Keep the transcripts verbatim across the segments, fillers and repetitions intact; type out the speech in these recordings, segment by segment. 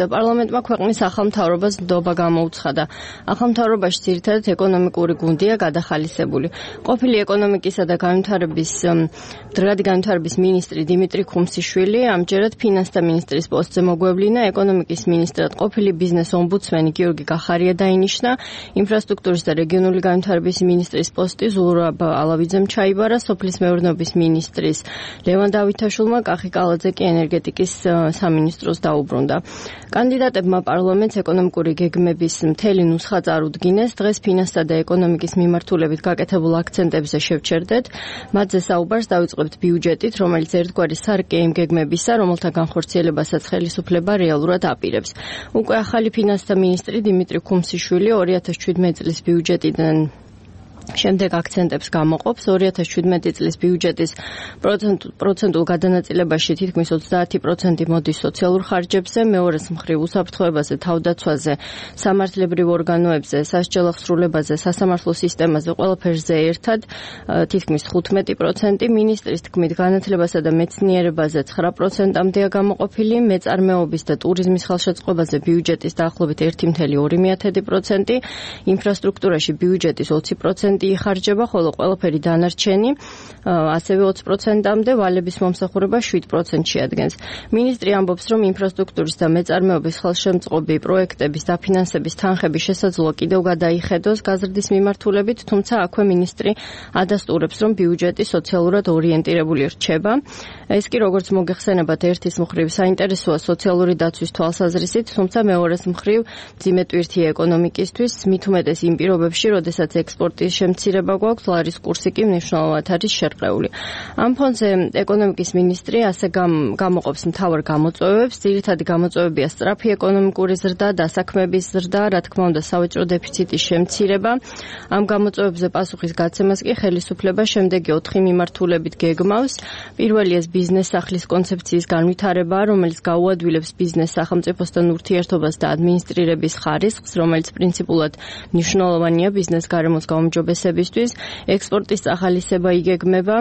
პარლამენტმა ქვეყნის ახალ მთავრობას ნდობა გამოუცხადა. ახალ მთავრობაში ძირითადად ეკონომიკური გუნდია გადახალისებული. ყოფილი ეკონომიკისა და განვითარების დროადი განვითარების მინისტრი დიმიტრი ხუმსიშვილი ამჯერად ფინანსთა მინისტრის პოსტზე მოგვევლინა. ეკონომიკის მინისტრად ყოფილი ბიზნეს ომბუდსმენი გიორგი კახარია დაინიშნა. ინფრასტრუქტურის და რეგიონული განვითარების მინისტრის პოსტი ზურაბ ალავიძემ ჩაიბარა. სოფლის მეურნეობის მინისტრის ლევან დავითაშვილმა, კახი კალაძე კი ენერგეტიკის სამინისტროს დაუბრუნდა. კანდიდატებმა პარლამენტს ეკონომიკური გეგმების მთელი ნუსხა წარუდგინეს. დღეს ფინანსთა და ეკონომიკის მიმართულებით გაკეთებულ აქცენტებზე შევჩერდეთ. მათზე საუბარს დავიწყებთ ბიუჯეტით, რომელიც ერთგვარი სარკე იმ გეგმებისა, რომელთა განხორციელებასაც ხელისუფლება რეალურად აპირებს. უკვე ახალი ფინანსთა მინისტრი დიმიტრი ხუმსიშვილი ორი ათას შვიდმეტი წლის ბიუჯეტიდან შემდეგ აქცენტებს გამოყოფს. ორი ათას შვიდმეტი წლის ბიუჯეტის პროცენტულ გადანაწილებაში თითქმის ოცდაათი პროცენტი მოდის სოციალურ ხარჯებზე, მეორეს მხრივ უსაფრთხოებაზე, თავდაცვაზე, სამართლებრივ ორგანოებზე, სასჯელო ხსრულებაზე, სასამართლო სისტემაზე, ყველაფერზე ერთად თითქმის თხუთმეტი პროცენტი. მინისტრის თქმით, განათლებასა და მეცნიერებაზე ცხრა პროცენტამდეა გამოყოფილი, მეწარმეობის და ტურიზმის ხელშეწყობაზე ბიუჯეტის დაახლოებით ერთი მცდარი პროცენტი, ინფრასტრუქტურაში ბიუჯეტის ოცი პროცენტი იხარჯება, ხოლო ყველაფერი დანარჩენი ასევე ოცი პროცენტამდე, ვალების მომსახურება შვიდ პროცენტს შეადგენს. მინისტრი ამბობს, რომ ინფრასტრუქტურის და მეწარმეობის ხელშემწყობი პროექტების დაფინანსების თანხების შესაძლოა კიდევ გადაიხედოს გაზრდის მიმართულებით, თუმცა აქვე მინისტრი ადასტურებს, რომ ბიუჯეტი სოციალურად ორიენტირებული რჩება. ეს კი როგორც მოგეხსენებათ, ერთის მხრივ საინტერესოა სოციალური დაცვის თვალსაზრისით, თუმცა მეორეს მხრივ მძიმე ტვირთია ეკონომიკისთვის, მით უმეტეს იმ პირობებში, როდესაც ექსპორტის შემცირება გვაქვს, ლარის კურსი კი მნიშვნელოვნად არის შერყეული. ამ ფონზე ეკონომიკის მინისტრი ასე გამოყოფს მთავარ გამოწვევებს. ძირითადი გამოწვევებია სწრაფი ეკონომიკური ზრდა, დასაქმების ზრდა, რა თქმა უნდა, სავაჭრო დეფიციტის შემცირება. ამ გამოწვევებზე პასუხის გაცემას კი ხელისუფლება შემდეგი ოთხი მიმართულებით გეგმავს. პირველია ბიზნეს სახლის კონცეფციის განვითარება, რომელიც გაუადვილებს ბიზნეს სახელმწიფოსთან ურთიერთობას და ადმინისტრირების ხარისხს, რომელიც პრინციპულად მნიშვნელოვანია ბიზნეს გარემოს გაუმჯობესებისთვის. ექსპორტის წახალისება იგეგმება,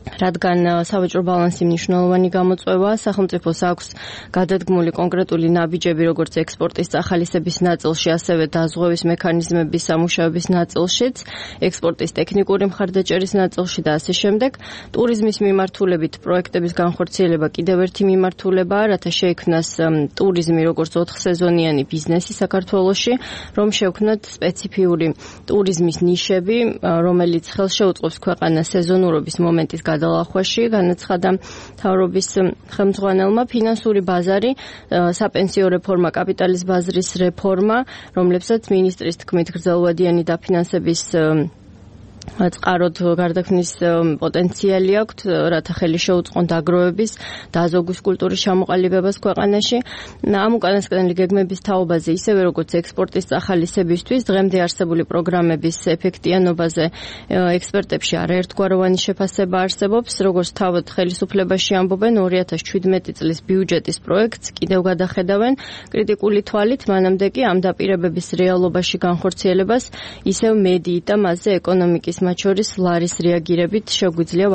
რადგან სავაჭრო ბალანსი მნიშვნელოვანი გამოწვევაა, სახელმწიფოს აქვს გადადგმული კონკრეტული ნაბიჯები, როგორც ექსპორტის წახალისების ნაწილში, ასევე დაზღვევის მექანიზმების სამუშაოების ნაწილშიც, ექსპორტის ტექნიკური მხარდაჭერის ნაწილში და ასე შემდეგ. ტურიზმის მიმართულებით პროექტების განხორციელება კიდევ ერთი მიმართულებაა, რათა შეიქმნას ტურიზმი როგორც ოთხსეზონიანი ბიზნესი საქართველოში, რომ შევქმნათ სპეციფიური ტურიზმის ნიშები, რომელიც ხელშეუწყობს ქვეყანას სეზონურობის მომენტის გადალახვაში, განაცხადა მთავრობის ხელმძღვანელმა. ფინანსური ბაზარი, საპენსიო რეფორმა, კაპიტალის ბაზრის რეფორმა, რომლებსაც მინისტრის თქმით გრძელვადიანი დაფინანსების წყაროდ გარდაქმნის პოტენციალი აქვთ, რათა ხელი შეუწყონ დაგროვების, დაზოგვის კულტურის ჩამოყალიბებას ქვეყანაში. ამ უკანასკნელი გეგმების თაობაზე, ისევე როგორც ექსპორტის წახალისებისთვის, დღემდე არსებული პროგრამების ეფექტიანობაზე ექსპერტებში არაერთგვაროვანი შეფასება არსებობს. როგორც თავად ხელისუფლებაში ამბობენ, ორი ათას შვიდმეტი წლის ბიუჯეტის პროექტს კიდევ გადახედავენ კრიტიკული თვალით, მანამდე კი ამ დაპირებების რეალობაში განხორციელებას ისევ მედიით და მასზე ეკონომიკის მათ შორის ლარის რეაგირებით შეგვიძლია